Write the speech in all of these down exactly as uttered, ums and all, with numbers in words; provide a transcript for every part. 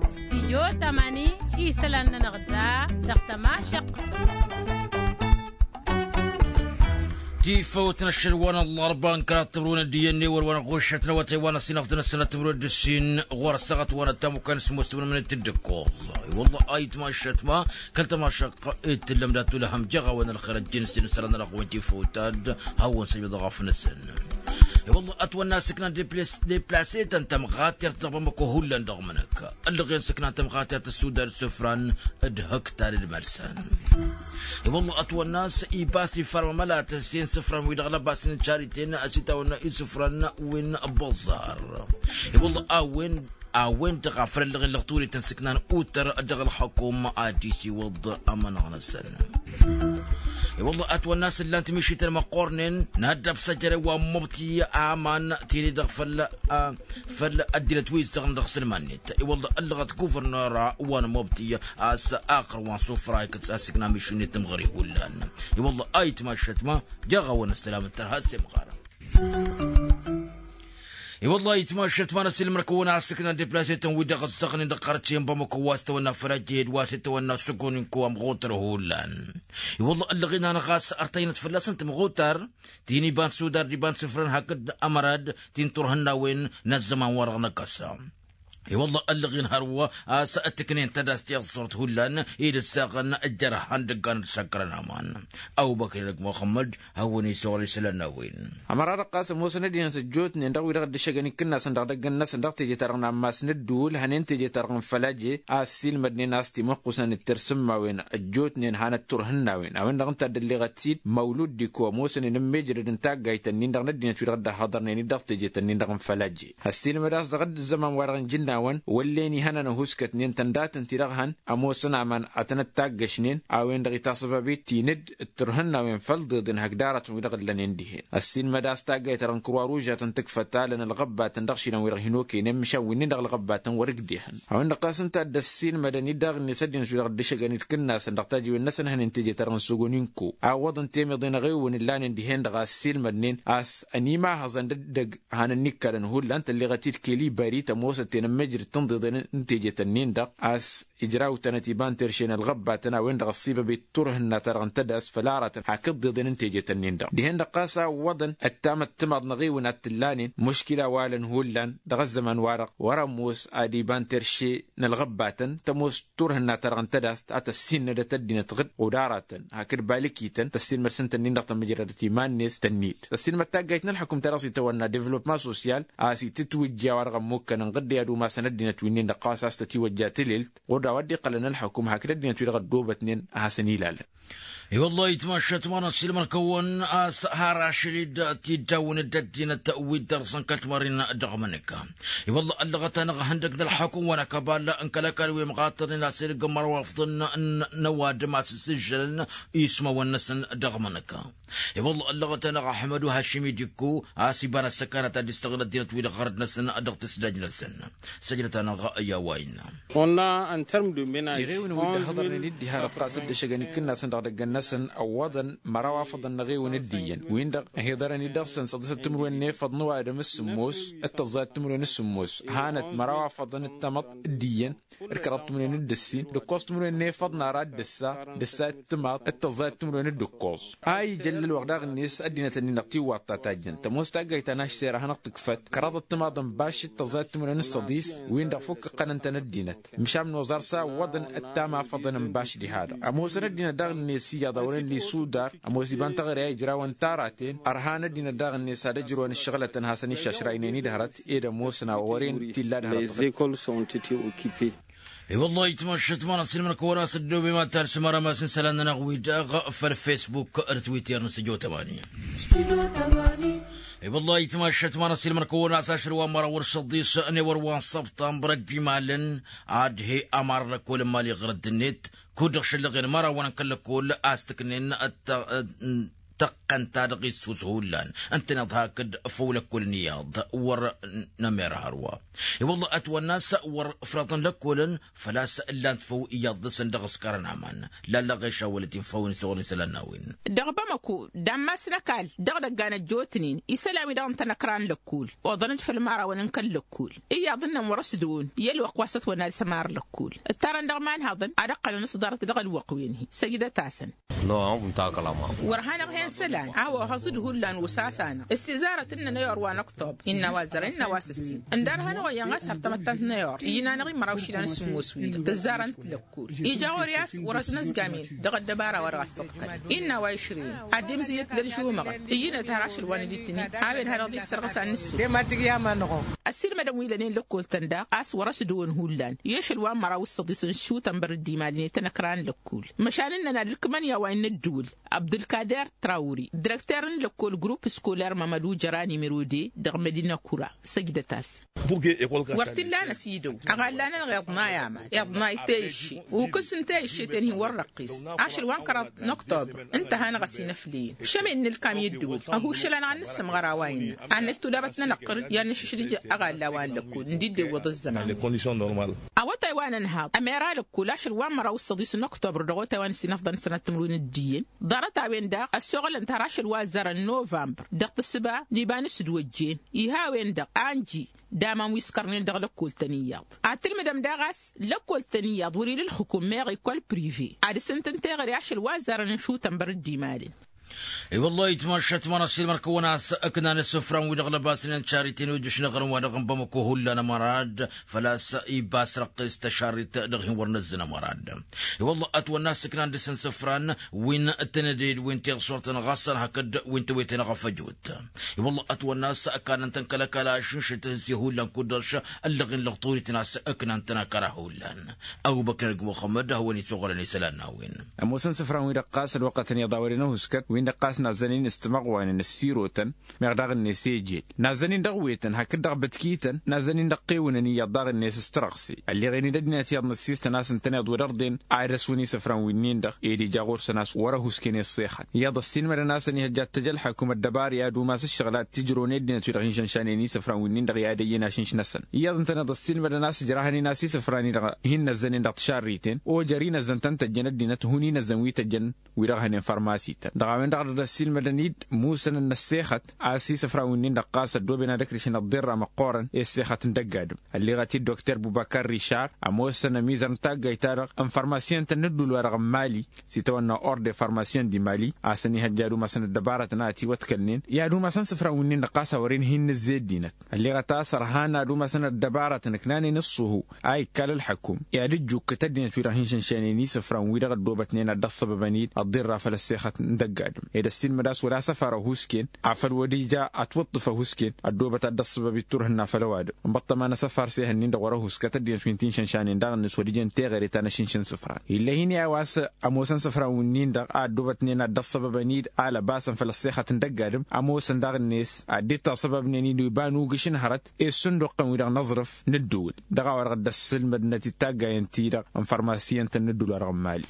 Studio tamani, isălan-nănăɣ da dăɣ-tămašăq. Tifăwt n-ašăl wa n-ăllarba n-kăraḍ timǝrwen d-iyyăn n-ewăl wa n-ăɣušăt n-awătay wa n-ăsinăɣ d-năsănăt timǝrwen d-ǝssin ɣur-ăssaɣăt wa n-ăttam ukăn s-mos timǝrwen d-ǝddukoẓ. I-wălla a itmašăt ma kăl-tămašăq i-tǝllăm dat-tulăhăm jeɣ-awăn ălxer ăjjin s-inǝsălan n-ălăɣwen tifăwt ad-hawăn săjbăḍ ɣaf-năsăn. I-wălla ătwănna s-ǝknan deplase-tăn tămɣatert dăɣ-bamăko hullan dăɣ-mǝnăk ăllăɣen s-ǝknan tămɣatert ăssudar s-sufran d-hăktan d-mălsan. I-wălla ătwănna s-ibat ifarmămălat s-insufran wi dăɣ-lăbas n-cariten s-itawănna isufran wi n-băẓar. I-wălla a-wen a-wen-dăɣ a făl ăllăɣen lăɣturităn s-ǝknan utăr dăɣ-ălxăkum ad-isiwǝḍ ămănăɣ-năsăn. I-wălla ătwănna s-ǝllan timišităn măqqornen n-ad-dd-ăbsăjăre wa n-mobti aman tini-dăɣ făll-a făll-ăddinăt wi ǝzzăɣnen dăɣ-sǝlman-net. I-wălla ăllăɣăt guvărnăra wa n-mobti a-s aqăr wa n-sufra ikǝt a-s ǝkna mišin-net tǝmɣări hullan. I-wălla a itmašăt ma jeɣ-awăn ăssălam n-tărha s-imɣarăn. I-wălla a itmašăt ma n-ăsilmăr-kăwăn a-s ǝknan deplase-tăn wi dăɣ-ăzzăɣnen dăɣ-qarăt-i n-bamăko wa s-tăwănna fălăje d-wa s-tăwănna săgonin-kăwăn măɣotar hullan. I-wălla ăllăɣen-anăɣ a-s ărtăynăt fălla-săn tǝmɣotar tini ban sudar d-iban sufrăn hakd ămărad ti n-turhǝnnawen n-ăzzăman-wa-dăɣ năkăsa. I-wălla ăllăɣen hărwa a-s ǝttǝknen tădast tiẓẓurt hullan i-dd-ǝssaɣăn ǝjjărhan d-ǝggan d-šakrăn aman. Ăbubăkr-i-dăgg muxămmăd hawăn-isuɣǝl isălan n-a-wen. Ămăra-dăɣ ɣas ămoosăn ăddinăt ăjjootnen dăɣ-wi-dăɣ dd-ǝššăgăn ikǝnnasăn dăɣ-idăgg-năsăn dăɣ-teje-ta-dăɣ n-ammas n-ǝddǝwǝl hănen teje-ta-dăɣ n-fălaje a ăssiilmădnen a-s timǝqqusăn d-tirsǝmmawen ăjjootnen hanăt-turhǝnnawen a-wen-dăɣ ǝnta a dd-ălleɣăt-dd măwlud diko ămoosănen n-mejrăd n-taggayt-ǝnnin-dăɣ n-ăddinăt wi-dăɣ dd-ăhhăḍărnen-dd dăɣ-teje-tăn-in-dăɣ n-fălaje. Ăssiilmăd a-s dăɣ-dd-ăzzăman-wa-dăɣ n-ijǝnnawăn wăllen ihănan ăhuskătnen tăndatăn-ti-dăɣ hăn ămoosăn aman ad-tăn-ăttaggăšnen a-wen-dăɣ itaṣăbabit tinǝd d-turhǝnnawen făll-iḍeḍen hakd aratăn wi-dăɣ ǝllănen dihen. Ăssiilmăd a-s taggayt-ta-dăɣ n-kruwa ruža tăn-tǝkfăt alăn ălɣăbbatăn dăɣ-išilan wi-dăɣ hin-okăynen măšan winnin-dăɣ ălɣăbbatăn wăr-ǝgdehăn. A-wen-dăɣ ɣas ǝnta a dd-ăssiilmădăn-dd daɣ-net ăddinăt wi-dăɣ dd-ǝššăgăn d-kǝnnasăn dăɣ-tajiwen-năsăn hănen teje-ta-dăɣ n-sogonin-ko a ǝwwăḍăn temăḍen ăɣewǝn ǝllanen dihen-dăɣ a ăssiilmădnen a-s ănimahăẓăn d-ăddăg hanăn-ikkalăn hullan tălleɣăt-dd kelibări tămoosăt tenămmejrăd tǝnḍeḍen n-tejet-ǝnnin-dăɣ a-s ijraw-tănăt iba n-terše n-ălɣăbbatăn a-wen-dăɣ ăṣṣibăbet turhǝnna-ta-dăɣ n-tădast făll-aratăn hak iḍeḍen n-tejet-ǝnnin-dăɣ dihen-dăɣ ɣas a ǝwwăḍăn ăttam ăttămaḍ n-aɣewǝn ad-t-ǝllanen muškila walăn hullan dăɣ-ăzzăman-wa-dăɣ wăr-ămoos ad-iba n-terše n-ălɣăbbatăn tămoos turhǝnna-ta-dăɣ n-tădast a tăssinnădăt ăddinăt ɣǝd ɣud-aratăn hakd balǝkităn tăssiilmăd s-ǝnta-nin-dăɣ tămmǝjrădăt iman-net tănni-dd tăssiilmăd taggayt n-ălxukǝm ta dăɣ-s itawănna devălopma sosyal a-s itǝtwǝjja a-wa dăɣ-ămmukkănăn ɣǝddey ad-umasăn ăddinăt wi-nin-dăɣ ɣas a-s tătiwăjja tǝlelt ɣur-dd a-wa dd-iqqălăn ălxukǝm hakd ăddinăt wi-dăɣ ăddoobătnen ad-hasăn-ilalăn. I-wălla-hi tmašat ma n-ăssiilmăr-kăwăn a-s har ašăl-dd tiddawăn d-ăddinăt wi dd-ărẓăn kăl-timarrin dăɣ-mǝnǝka. I-wălla ăllăɣăt-anăɣ ihăndăg n-ălxukǝm wa n-akăbal n-kăl-ăkall wi ămɣatărnen a-s edăgg n-măraw afḍăn n-ăwadǝm a-s ǝssǝžžălăn ismawăn-năsăn dăɣ-mǝnǝka. I-wălla ăllăɣăt-anăɣ ăḥmădu hašim idikku a-s iba n-ăssăkanăt ad-dd-istăɣǝl ăddinăt wi-dăɣ ɣărăd-năsăn dăɣ-tǝsdaj-năsăn. Săjdăt-anăɣ i-a-wa innă. Iɣewăn wi dd-ăhhăḍărnen-dd diha-dăɣ ɣas dd-ăššăgăn ikǝnnasăn dăɣ-idăgg-năsăn ăwwăḍăn măraw afăḍăn n-aɣewăn d-iyyăn win-dăɣ ăhiḍărăn-dd dăɣ-săn săḍisăt timǝrwen n-efăḍ n-ăwadǝm s-sǝmmos d-tăẓẓayăt timǝrwen s-sǝmmos hanăt măraw afăḍăn d-tamăḍt d-iyyăn d-kăraḍ timǝrwen d-ǝssin d-ǝkkoẓ timǝrwen n-efăḍ n-ara dd-ǝssa d-ǝssa d-timaḍ d-tăẓẓayăt timǝrwen d-ǝkkoẓ. A ijăll ălwăqq daɣ-net ăddinăt-ǝnnin-dăɣ tiwwaḍt ta tajjăn tămoos taggayt ta n-ašter a hanăɣ-tǝkfăt kăraḍăt timaḍ n-baš d-tăẓẓayăt timǝrwen s-săḍis win-dăɣ fukk ǝqqănăn-tăn ăddinăt. Măšan ămoẓar s-a ǝwwăḍăn ăttam afăḍăn n-baš diha-dăɣ ămoosăn ăddinăt daɣ-net iyyăḍ a wărăn-dd isudar ămoos iba n-taɣre a ijrawăn taraten ărhan ăddinăt daɣ-net ad-ăjrăwăn ǝššăɣǝlătăn hasăn-iššašraynen-dd hărăt ed ămoosăn a wărăn t-illa d-hărăt. I-wăllah itmašat ma n-ăssiilmăr-kăwăn a-s ăddoobe ma talsǝm arămas n-isălan-nănăɣ wi-dăɣ făll-facebook d-twitter n-sǝjo tămani. I-wăllah itmašat ma n-ăssiilmăr-kăwăn a-s ašăl wa n-măraw wăr săḍis n-ewăr wa n-săbtambăr ăjjimalăn ad-he-ămar lăkol n-mali ɣăr ăddinăt kud-dăɣ šăllăɣen mărawăn n-kăl-lăkol a-s tǝknen ăttăɣ tăqqăn-ta-dăɣ issus hullan ǝntăneḍ hakd făw lăkkolăn iyyăḍ wăr nămerha hărwa. I-wălla ătwănna a-s wăr făraḍăn lăkkolăn făl-a-s ǝllan-t făw iyyăḍ dăr-săn dăɣ-s kărăn aman. Lallăɣ ešawălăt-in făw n-isăwăr n-isălan n-a-wen. Dăɣ-bamăko d-ammas n-ăkall dăɣ-idăggan ăjjootnen isălan-wi-dăɣ n-tanăkra n-lăkkol oḍăn-dd făll-imărawăn n-kăl-lăkkol iyyăḍ ǝnnăn wăr-ăsdăwăn i-ălwăqq wa s-ătwănna d-sămar lăkkol. Ǝttarăn dăɣ-iman haḍăn ad-ăqqălăn s-ḍarăt dăɣ-ălwăqq-wen-hi săjdăt-asăn. Wăr hanăɣ-hen isălan a-wa ohăẓ-dd hullan osas-anăɣ s-tizarăt n-inăyor wa n-ăktob innă a-wa ăzzărăn innă a-wa s-ǝssin ǝndarhănăɣ iyyăn ɣas har tamăttant n-inăyor iyyăn-anăɣ-i măraw išilan s-sǝmmos-wi-dăɣ tǝzzarăn-t lăkkol. Ija ɣur-i a-s wăr-ăznăzgam-in dăɣ-ăddăbara wa dăɣ-a-s tǝḍkăl innă a-wa išrǝyăn ad-dd-imzǝyyăt lălžumăɣăt iyyǝnăt har ašăl wa n-dd-ittǝnǝy. A-wen hanăɣ-dd-issărɣǝs ad-nǝssǝm. Ăssiilmădăn wi lănen lăkkol-tăn daɣ a-s wăr-ăsdăwăn hullan i-ašăl wa n-măraw s-săḍisăn s-šutăn băr-dd-imalnen i-tanăkra n-lăkkol. Măšan ǝnnăn ad-ǝlkǝmăn i-a-wa innă ăddǝwǝl abdulkader trawri direkter n-lăkkol grupp skoler mămădu jăra nimero de dăɣ-mădina kura. Săjdăt-as. Wăr t-illa anăsidăw ăɣallan-anăɣ iḍnay aman iḍnay teyǝšše ukǝs n-teyǝšše-ten-hi wăr răqqis. Ašăl wa n-kăraḍ n-oktobr ǝnta a hanăɣ-ăsinăflăyăn šămăyăn n-ǝlkam i-ăddǝwǝl ăhuššăl-anăɣ ad-nǝssǝmɣăr a-wa innă ad-năj tudabăt n-anăqqăr i-ad-nǝššǝšǝl ija ăɣalla wa n-lăkkol ǝndi dd-iwwăḍ ăzzăman. Awătay wa n-ănhaḍ ămera lăkkol ašăl wa n-măraw s-săḍis n-oktobr dăɣ-otay wa n-ăsinăfḍăn sănat timǝrwen d-iyyăn ḍarăt-a-wen daɣ ăssoɣălăn-t har ašăl wa ăzzarăn novămbr dăɣ-tǝssǝba n-iba n-asǝdwăjjen. Iha a-wen-dăɣ a ǝnji d-aman wi s-kărnen dăɣ-lăkkol-tăn iyyăḍ ad-tǝlmǝdăm daɣ a-s lăkkol-tăn iyyăḍ wăr-ila ǝlxǝkum meɣ ikol prive ad-dăr-săn tăn-teɣăre ašăl wa ăzzarăn n-išutăn băr dd-imalăn. I-wăllah itmašat manăs ilmăr-kăwăn-as ǝknan isǝfran-wi-dăɣ lăbasnen šariten ojăš n-aɣrǝm wa dăɣ-n bamăko hullan ămărad făl-a-s ibas răqqes tăšarrit dăɣ-hin wăr năzzăn ămărad. I-wăllah ătwănna a-s ǝknan dăr-săn isǝfran wi n-tănăded wi n-tiɣsurtăn ɣasăn hakd wi n-tewăyten ɣăfăjot. I-wălla ătwănna a-s ăkkanăn-tăn kăl-ăkall ašǝnšǝt s-ihullan kud-dăɣ šăllăɣ-in lăɣ tawrit-in a-s ǝknan-tăn akăra hullan. Ăbubăknăr g-muxămmăd a hawăn-isuɣǝlăn isălan n-a-wen. Ămoosăn isǝfran-wi-dăɣ ɣas ălwăqqătăn iḍawăren ăhuskăt wi-dăɣ ɣas nazzăn-in s-timăɣwanen s-sirotăn meɣ daɣ-net ejel nazzăn-in dăɣ-wetăn hakd dăɣ-bătkităn nazzăn-in dăɣ-qewǝnăn iyyăḍ daɣ-net s-tărăɣse. Ălleɣen-in ăddinăt iyyăḍ n-ăssistăn a-s ǝntăneḍ wăr-ărdin a idăswǝn isǝfran wi-nin-dăɣ ed ija ɣur-săn a-s wăr-ăhuusken i-ăṣṣixăt iyyăḍ ăssiilmădăn a-s ănihăjja ad-t-ăj ălxăkum ăddăbar i-ad-umas ǝššăɣǝl ad-t-ijrăwăn i-ăddinăt wi-dăɣ hin-šănšanen isǝfran wi-nin-dăɣ i-ad-ăyyăn ašǝnš-năsăn. Iyyăḍ ǝntăneḍ ăssiilmădăn a-s ǝjrahăn-in a-s isǝfran-i-dăɣ hin-năzzănen dăɣ-tišarriten ojăr-i năzzăn tăn-tăjjăn ăddinăt hun-i năzzăn wi tăjjăn wi-dăɣ hănen fărmasităn dăɣ-a-wen-dăɣ a dăr-ăssiilmădăn-dd musănăn n-ăssexăt a-s isǝfran wi-nin-dăɣ ɣas ăddooben ad-ăkrǝšăn ăḍḍirra măqqoorăn i-ăssexăt n-dăgg-adǝm. Ălleɣăt-dd dokter bubăkar rišar ămoosăn ămizăr n-taggayt-ta-dăɣ n-fărmasiyăn-tăn n-ădduul-wa-dăɣ n-mali s-itawănna orde fărmasiyăn d-imali a-s ănihăjja ad-umasăn ăddăbarătăn a ătiwătkălnen i-ad-umasăn isǝfran wi-nin-dăɣ ɣas a wăren hin-nǝzzey ăddinăt. Ălleɣăt a-s ărhan ad-umasăn ăddăbarătăn ǝknanen ǝṣṣuhu a ikkal ălxăkum i-ad-ǝjjukkǝt ăddinăt wi-dăɣ hin-šănšăynen isǝfran wi-dăɣ ăddoobătnen ad-dd-ăṣṣăbăbăn-dd ăḍḍirra făll-ăssexăt n-dăgg-adǝm. Ed ăssiilmăd a-s wăla săfar ăhuusken afăl wăr ija ătwǝṭṭǝf ăhuusken ăddoobăt ad-dd-ăṣṣăbăb-dd turhǝnna făll-ăwadǝm ǝnbăṭṭăma n-asăfar s-ehăn-nin-dăɣ wăr-ăhuuskat ăddinăt wi n-tinšănšanen daɣ-net wăr-ija n-teɣăre ta n-ašǝnš n-isǝfran. Ill'-e-hin i-a-wa s-ămoosăn isǝfran wi-nin-dăɣ a ăddoobătnen ad-dd-ăṣṣăbăbăn-dd a lăbasăn făll-ăṣṣexăt n-dăgg-adǝm ămoosăn daɣ-net ad-dd-taṣăbăbnen-dd iba n-ugǝš n-hărăt i-ǝssǝnduqqăn-wi-dăɣ n-aẓrǝf n-ǝddǝwǝl. Dăɣ-a-wa-dăɣ dd-ăssiilmădnăt d-taggayăn-ti-dăɣ n-fărmasiyăn-tăn n-ǝddǝwǝl-wa-dăɣ n-mali.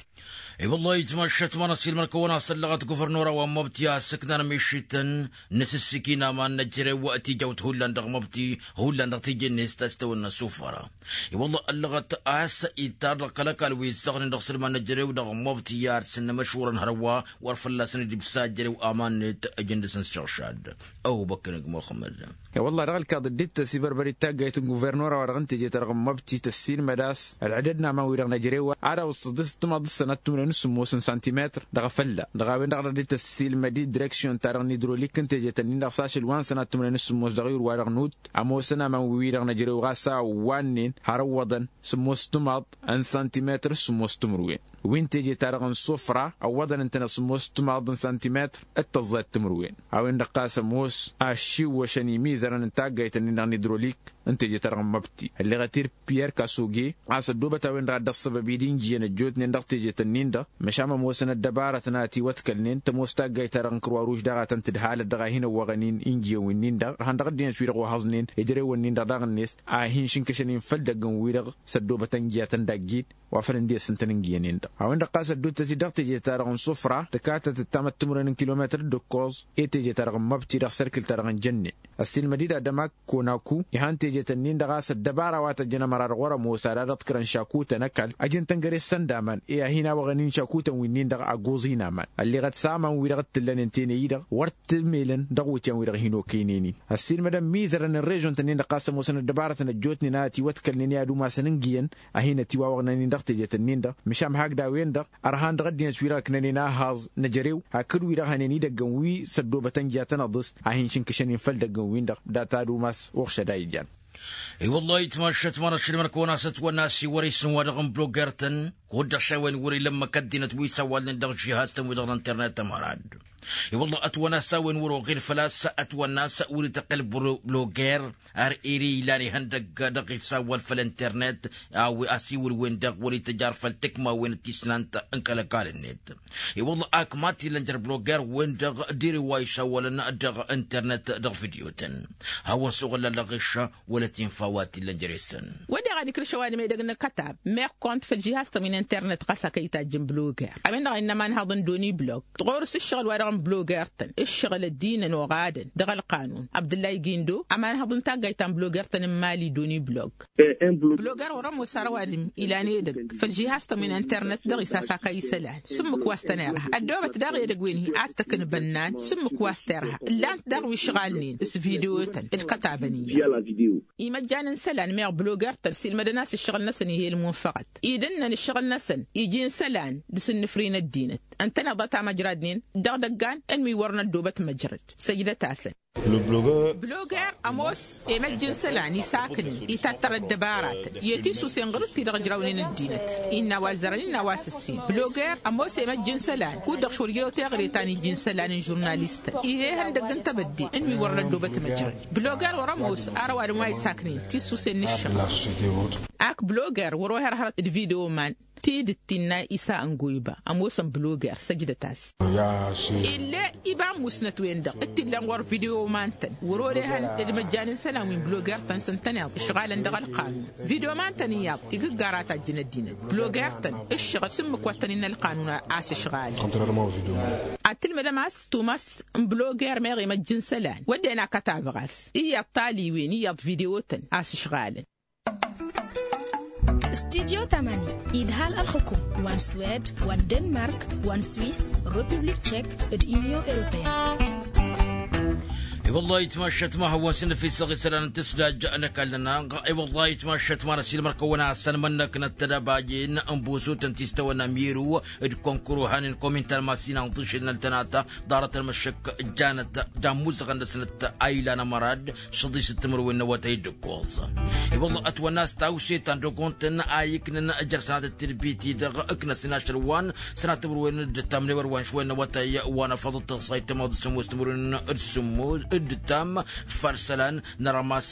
I-wăllah itmašat manăs ilmăr-kăwăn-asăllăɣăt guvărnora wa n-măbti a-s ǝknan ămišităn n-asǝssǝkin aman n-ăjrewwa tijawt hullan dăɣ-măbti hullan dăɣ-tijǝnne s-ta s-tawănna sufăra. I-wăllah ăllăɣăt a-s ittar dăɣ-kăl-ăkall wi ǝzzăɣnen dăɣ-sǝlman n-ăjrew dăɣ-măbti i-ad-sǝnnămăšurăn hărwa wăr fălla-săn dd-ibsa ăjrew aman-net ăjăn dăr-săn s-căɣšad. Ăwbăknăg muxămmăd. I-wălla dăɣ-ălkaḍ dd-ittăs ibărbăr-dd taggayt n-guvernuran wa dăɣ-n teje-ta-dăɣ n-măbti tăssiilmăd a-s ălɣădăd n-aman-wi-dăɣ n-ejrew ad-awǝssăḍ dăɣ-s ǝttǝmaḍ d-sănat timǝrwen s-sǝmmos n-santimetr dăɣ-efălla. Dăɣ-a-wen-dăɣ a dăɣ-dd-ittăs ăssiilmăd-dd direksyon-ta-dăɣ n-idrolik n-teje-tăn-in-dăɣ s-ašăl wa n-sănat timǝrwen s-sǝmmos dăɣ-iwǝr-wa-dăɣ n-ut ămoosăn aman-wi-dăɣ n-ejrew ɣas a ăwwannen har ǝwwăḍăn sǝmmos ǝttǝmaḍ n-santimetr s-sǝmmos timǝrwen. Wi n-teje-ta-dăɣ n-sufra ăwwăḍăn ǝntăneḍ sǝmmos ǝttǝmaḍ n-santimetr d-tăẓẓayăt timǝrwen. A-wen-dăɣ ɣas ămoos ašiwwăšăn imizărăn n-taggayt-nin-dăɣ n-idrolik n-teje-ta-dăɣ n-măbti ălleɣăt-dd piyer kasuge a-s ăddoobăt a-wen-dăɣ a dd-ăṣṣăbăb-dd injiyăn ăjjootnen dăɣ-teje-tăn-in-dăɣ. Măšan ămoosăn ăddăbarătăn a ătiwătkălnen tămoos taggayt-ta-dăɣ n-kărwa ruš daɣ a tăn-tǝdhalăt dăɣ-a hin-ăwwăɣăn-in injiyăn wi-nin-dăɣ ărhan dăɣ-ăddinăt wi-dăɣ ohăẓnen ejrew-nin-dăɣ daɣ-net a hin-šǝnkăšăn-in făll-idăggăn-wi-dăɣ s-ăddoobăt ănjiyatăn dagg-dd wa făl ǝndiyăs ǝntăn ǝngǝyăn-in-dăɣ. A-wen-dăɣ ɣas ădduuttăt-dd dăɣ-teje-ta-dăɣ n-sufra tǝkatăt d-tamăt timǝrwen n-kilometăr d-ǝkkoẓ i-teje-ta-dăɣ n-măbti dăɣ-sărkǝl-ta-dăɣ n-jănne. Ăssiilmăd-dd adămak konaku ihăn teje-tăn-in-dăɣ a-s ăddăbara wa tăjjăn ămăra dăɣ-wăr-ămoos ad-dăɣ-tǝkrăn šakutăn ăkall ăjǝn-tăn găre-s săndaman i-ad-hin-awăɣăn-in šakutăn wi-nin-dăɣ a goẓ-in aman ălleɣăt s-aman-wi-dăɣ t-tǝllănen tene-i-dăɣ wăr t-melăn dăɣ-iwǝtyan-wi-dăɣ hin-okăynen-in. Ăssiilmădăn mizărăn n-režon-tăn-in-dăɣ ɣas ămoosăn ăddăbarătăn ăjjootnen a ătiwăḍkălnen i-ad-umasăn ǝngǝyăn a hin-ătiwawăɣnen-in dăɣ-teje-tăn-in-dăɣ măšan hakd a-wen-dăɣ ărhan dăɣ-ăddinăt-wi-dăɣ ǝknănen a haẓ n-ejărew hakd wi-dăɣ hănen idăggăn wi s-ăddoobătăn jatăn aḍǝs a hin-išǝnkǝšăn-in făll-idăggăn-win-dăɣ. Data ad-umas uɣšăd a ijan. I-wăllah itmašăt manăšilmăn kăwăn-asăt wănna s-iwărăy s-nǝnwa-dăɣ n-bloger-tăn kud-dăɣ šawen wăr-ilămmăk ăddinăt wi s-ăwwalnen dăɣ-žihaz-tăn-wi-dăɣ n-internet ămărad. I-wăllah ătwănna s-a-wen wăr-oɣil făl-a-s ătwănna s-wăr-ităqqǝl bloger ar iri ilan ihăndăgg dăɣ-isawwăl făll-internet a-s iwǝl-wen-dăɣ wăr-ităjar făll-tikmawen tisnant n-kăl-ăkall-net. I-wălla ak mad-t-illăn jer-bloger-wen-dăɣ diri wa isawwălăn dăɣ-internet dăɣ-video-tăn. Hawăn-suɣǝl ăllăɣiš wăla tinfa wa t-illăn jere-săn. Wădden ad-ikrǝš ăwadǝm edăgg n-akătab meɣ kont făll-žihaz-tăn wi n-internet ɣas akăy-itajjǝn bloger a-wen-dăɣ a innă amanhăḍ n-doni blog. Ɣur-s ǝššăɣǝl-wa-dăɣ n-bloger-tăn ǝššăɣǝl ăddinăn oɣadăn dăɣ-ălqanun abdǝllay gindo amanhăḍ n-taggayt ta n-bloger-tăn n-mali doni blog. Bloger wăr-ămoos ar ăwadǝm ilan edăgg făll-žihaz-tăn wi n-internet dăɣ-isas akay isălan s-ǝmmǝk wa s-tăn-irha ăddoobăt daɣ edăgg-wen-hi ad-t-ăknǝbănnan s-ǝmmǝk wa s-t-irha. Ǝllan-t daɣ wi ǝšɣalnen s-video-tăn ǝlkătabăn iyyăn. Imăjjan n-isălan meɣ bloger-tăn ăssiilmădăn a-s ǝššăɣǝl-năsăn ih' elmunfăɣăt idǝnnăn ǝššăɣǝl-năsăn iji n-isălan d-asǝnnǝfri n-ăddinăt. Ǝntăneḍ a tamăjradnen dăɣ-idăggan n-wi wăr năddoobăt măjrăd. Săjdăt-asăn. Bloger ămoos emăjj n-isălan isaknen itattăr ăddăbaratăn i-tisusen ɣur-dd-ti-dăɣ ǝjrawnen ăddinăt. Innă a-wa ăzzărăn innă a-wa s-ǝssin bloger ămoos emăjj n-isălan kud-dăɣ šwăr ijrew teɣăre ta n-iji n-isălan n-žurnalistăn ih' ehăndăgg n-tebădde n-wi wăr năddoobăt măjrăd. Bloger wăr-ămoos ar ăwadǝm wa isaknen tisusen n-ǝššăɣǝl. Ak bloger wăr-oher hărăt d-video man tidǝt tinnay isa ăngoyba ămoosăn bloger săjdăt-as. Ill'-e iba musnăt-wen-dăɣ t-illăn ɣur-video man-tăn wăr-orehăn d-imăjjan n-isălan wi n-bloger-tăn s-ǝntăneḍ ǝšɣalăn dăɣ-ălqanun. Video man-tăn iyyăḍ tigǝggara tajjǝn ăddinăt bloger-tăn ǝššăɣǝl s-ǝmmǝk wa s-tăn-innă ălqanun a-s ǝšɣalăn. Ad-tǝlmǝdăm a-s tumas n-bloger meɣ imăjj n-isălan wădden akătab ɣas iyyăḍ taliwen iyyăḍ video-tăn a-s ǝšɣalăn. Studyo tamani idhal ălxǝkum wa n-swed wa n-denmark wa n-swis, republik tšek, d-inyon europeyăn. I-wăllah itmašăt ma hawăn-sǝnnăf isăɣ isălan n-tǝsdaj n-ăkall-nănăɣ. I-wăllah itmašăt ma n-ăsilmăr-kăwăn a-s ănmănnăknăt tedăbajen n-buzutăn ti s-tawănna miru d-konkuru hanen komintan ma s-inanḍǝšǝl n-ăltănata ḍarăt ălmăššăk janăt d-amuzăɣăn-năsnăt a ilan ămărad šăḍis d-timǝrwen n-awătay d-ǝkkoẓ. I-wălla ătwănna s-tawse ta n-dăɣ-ontăn a iknăn jer-sănatăt tǝdbit-i-dăɣ ǝknăsnen ašăl wa n-sănatăt timǝrwen d-ǝttam n-ewăr wa n-išwăyăn n-awătay wa n-afăḍăt tăẓẓayt tămoḍ d-sămoos timǝrwen d-sǝmmos d-ǝttam făll-isălan n-arămas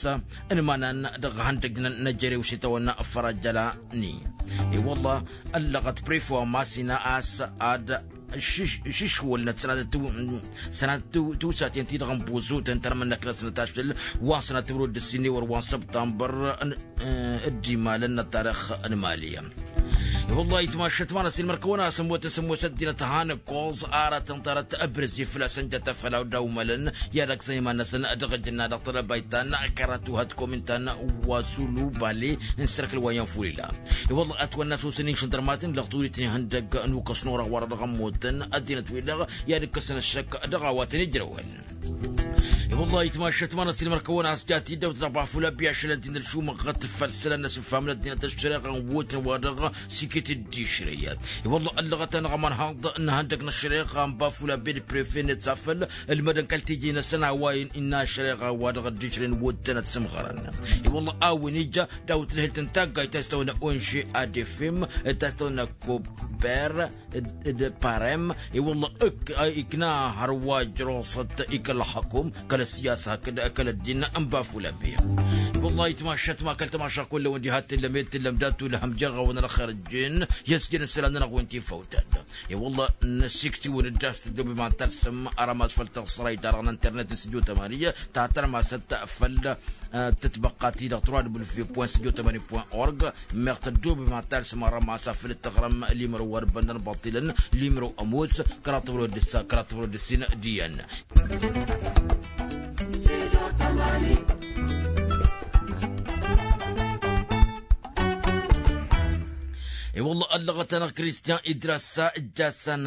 n-imanan dăɣ-ihăndăgnen n-ejărew s-itawănna fărăjăla-ni. I-wălla ăllăɣăt prefo amasina a-s ad-išǝšwălnăt sănatăt tiwǝsaten-ti-dăɣ n-buzutăn tărmǝnnăk-năsnăt ašăl wa n-sănatăt timǝrwen d-ǝssin ewăr wa n-săbtămbăr d-imalăn n-ăttarix n-imali. I-wăllah itmašăt ma n-ăsilmăr-kăwăn-asăn wătăn s-ămoos ăddinăt han ǝkkoẓ aratăn ḍarăt ăbrǝzi fălla-săn jatăt făll-a-wa dd-awmălăn i-ad-ăggsăn iman-năsăn dăɣ-ejănna dăɣ-tălăbayt ta n-kărat uhăt komin ta n-wasulu bale n-sărkǝl wa iyyăn fulila. I-wălla ătwănna s-osăn-in šăndărmatăn lăɣturit n-ihăndăg n-ukăs n-orăɣ wa-dăɣ dăɣ-ămmutăn ăddinăt-wi-dăɣ i-ad-ǝkkăsăn ăššăk dăɣ-a-wa tăn-ijrăwăn. I-wălla itmašăt ma n-ăsilmăr-kăwăn a-s jat-dd-awt dăɣ-bafu lăbbi ašăl ăddinăt šumăɣăt făll-isălan n-asǝffam n-ăddinăt ăššăreɣa n-wutăn wa-dăɣ s-iket dd-išrăy. I-wălla ăllăɣăt-anăɣ ămanhaḍ n-ihăndăg n-ăššăreɣa n-bafu lăbbi d-prefe-net s-afăl ǝlmădăn kăl-tiji-năsăn a-wa innă ăššăreɣa wa dăɣ-dd-išrăyăn wutăn ad-sǝmɣărăn. I-wălla a-wen ija d-awǝtlăhelt n-taggayt ta s-tăwănna onže adefem ta s-tăwănna kober d-parem. I-wălla ikna hărwa ǝjrosăt ikăl-ălxăkum kăl Siyasa hakd kăl-ăddin n-bafulabe. Wăllah itmašat ma kăl-tamaša kullăn wăndi hat tǝllăm ed tǝllăm dat-tulhăm jeɣ-awăn ălxer ǝjjin i-ăsjăn ǝssălan-nănăɣ wi n-tifăwt. I-wăllah n-asiktiwăn dd-a-s tǝjjobem ad-talsăm arămas făll-taɣsărayt-ta-dăɣ n-internet n-sǝjjo tămani ta tărmasăt făll-tǝtbăqqa-ti-dăɣ trois w point sǝjjo tămani point org. Meɣ tăjjobem ad-talsăm arămas afăl dd-tăɣrăm limro wa d-bănnăn băṭṭilăn limro ămoos kăraḍ tăbălod d-ǝssa kăraḍ tăbălod d-ǝssin d-iyyăn. I-wălla ăllăɣăt-anăɣ kristiyan idras-sa ǝjja-săn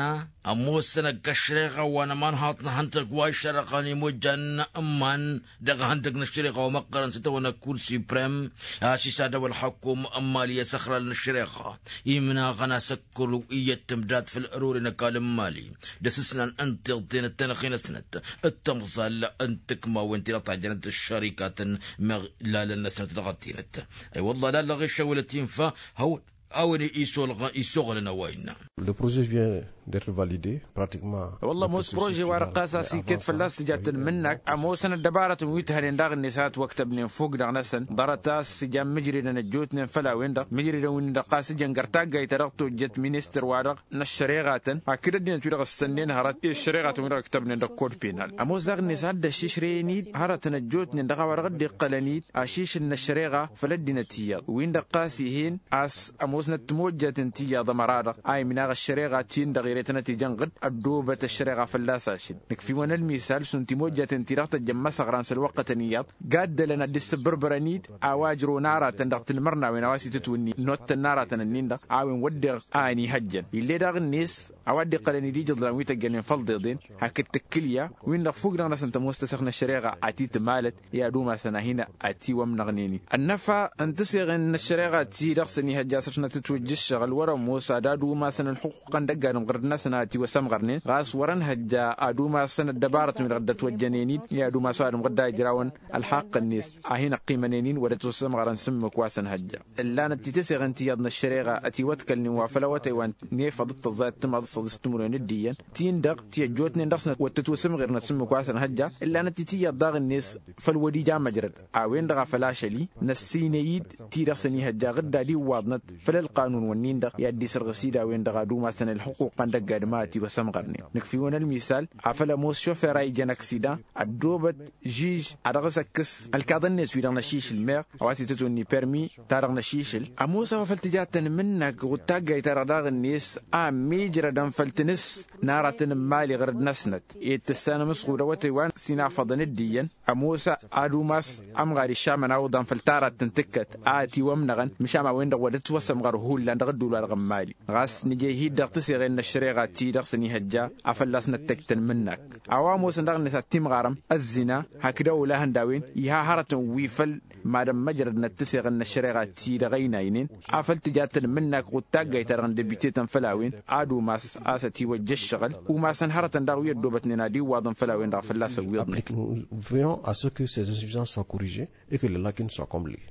ămoosăn ăgg-ăššăreɣa wa n-ămanhaḍ n-ihăndăgg wa išărăɣăn imujjan n-iman dăɣ-ihăndăgg n-ăššăreɣa wa măqqărăn s-itawănăkkur siprem. Ašis ad-dăw-ălxăkum n-imali i-asăxralăn ăššăreɣa imnaɣăn asăkkăru iyyăt tǝmdat făll-ărori n-ăkall n-imali d-asǝsnan n-tiḍten d-tanăɣe-năsnăt d-tamẓal n-tikmawen ti-dăɣ tajjănăt ăššărikatăn meɣ lalăn-năsnăt dăɣ-ăddinăt. I-wălla lallăɣ išăwălăt infa hăwăn a-wen isuɣlăn a-wa innă. Le projet vient d'être validé pratiquement. Wălla ămoos prože-wa-dăɣ ɣas a-s iket fălla-s tǝja tǝlmǝnnak ămoosăn ăddăbarătăn wi t-hănen daɣ-net a ătwăktăbnen fog-dăɣ-năsăn ḍarăt a-s ijan mǝjridăn ăjjootnen făll-a-wen-dăɣ mǝjridăn-win-dăɣ ɣas ǝjăn găr taggayt ta dăɣ-tojjăt ministăr-wa-dăɣ n-ăššăreɣatăn hakd ăddinăt-wi-dăɣ ǝssănnen hărăt i-ăššăreɣatăn-wi-dăɣ ǝktăbnen dăɣ-kod penal. Ămoos daɣ-net a dd-ăššišrăyăn-dd hărătăn ăjjootnen dăɣ-a-wa dăɣ-dd-iqqălăn-dd ašišǝl n-ăššăreɣa făll-ăddinăt iyyăḍ-win-dăɣ ɣas ih'-en a-s ămoosnăt timojjaten ti iyyăḍ ămăra-dăɣ a imnaɣ ăššăreɣa ti-dăɣ ere-tănăt ijăn ɣǝd ăddoobăt ăššăreɣa fălla-s ašăl. Nǝkf'-iwăn ălmisal šund timojjaten ti-dăɣ tăjjăn măsăɣran s-ălwăqqătăn iyyăḍ gaddălăn ad-dd-sǝbbărbărăn-dd a-wa ǝjrăwăn aratăn dăɣ-tinmărnawen a-wa s-itǝtwǝnni n-ottăn n-aratăn-ǝnnin-dăɣ a-wen wădden a ănihăjjăn ill'-e daɣ-net a-wa dd-iqqălăn-dd ijǝḍlan wi tăjjănen făll-iḍeḍen hakd tǝkkǝlya-win-dăɣ fugg-dăɣ-năsăn tămoos tăseɣt n-ăššăreɣa a ti-tǝmalăt i-ad-umasăn a hin-ătiwămnăɣnen-in ănnăfa n-tǝseɣen n-ăššăreɣa ti-dăɣ s-ănihăjja a-s ăššănăt tǝtwǝjja ǝššăɣǝl wăr-ămoos ad-ad-umasăn ălxuqquqăn dăgg-adǝm ɣǝrǝd-năsăn a ătiwăsămɣărnen ɣas wăr-ănhăjja ad-umasăn ăddăbarătăn-wi-dăɣ dd-ătwăjjănen-dd i-ad-umas ăwadǝm ɣǝdda ijrawăn ălxaqq-net a hin-ăqqimănen-in wăr-ătwăsămɣărăn s-ǝmmǝk wa s-ănhăjja. Ǝllanăt-t-i tǝseɣen ti iyyăḍ n-ăššăreɣa ătiwăḍkălnen wa făll-awătay wa n-efăḍ d-tăẓẓayăt timăḍ s-ăḍis timǝrwen d-iyyăn-tin-dăɣ ti ăjjootnen dăɣ-snăt wăr tǝtwăsǝmɣirnăt s-ǝmmǝk wa s-ănhăjja. Ǝllanăt-t-i ti iyyăḍ daɣ-net făll-wăr ija măjrăd a-wen-dăɣ a făl ašăl-i năssiinăy-dd ti-dăɣ s-ănihăjja ɣǝdda d-iwwaḍnăt făll-ălqanun-wǝnnin-dăɣ i-ad-dd-isărɣǝs-dd a-wen-dăɣ ad-umasăn ălxuqquqăn dăgg-adǝm a ătiwăsămɣărnen. Nǝkf'-iwăn ălmisal afăl ămoos šofera ijăn ăksida ăddoobăt žiž ad-dăɣ-s ăkkǝs ălkaḍăn-net wi-dăɣ n-ašišǝl meɣ a-wa s-itǝtwǝnni permi ta dăɣ-năšišǝl. Ămoos a-wa făl tǝja tănmǝnnakt ɣud taggayt-ta-dăɣ daɣ-net a ămmiijrădăn făll-tinǝs n-aratăn n-imali ɣǝrǝd-năsnăt ed tǝssan amǝsɣud awătay wa s-inafăḍăn d-iyyăn. Ămoos ad-umas ămɣar išamăn a uḍan făll-taradt n-tǝkkăt a ătiwămnăɣăn măšan a-wen-dăɣ wăr dd-tǝswăsămɣăr hullan dăɣ-ǝddul-wa-dăɣ n-imali. Ɣas nǝja ihid dăɣ-tǝseɣen n-ăššăreɣa ti-dăɣ s-ănihăjja a fălla-s năttăj tănmǝnnakt a-wa ămoosăn daɣ-net ad-timɣarăm ăzzina hakd awălahăn d-a-wen iha hărătăn wi făll-mad-ămmăjrădnăt tǝseɣen n-ăššăreɣa ti-dăɣ ăynaynen. Afăl tǝja tănmǝnnakt ɣud taggayt-ta-dăɣ n-debite-tăn făll-a-wen ad-umas a-s ătiwăjja ǝššăɣǝl umasăn hărătăn daɣ wi ăddoobătnen ad-iwwaḍăn făll-a-wen-dăɣ a fălla-s ăwwiḍnen. Veillons à ce que ces insuffisances soient corrigées et que les lacunes soient comblées.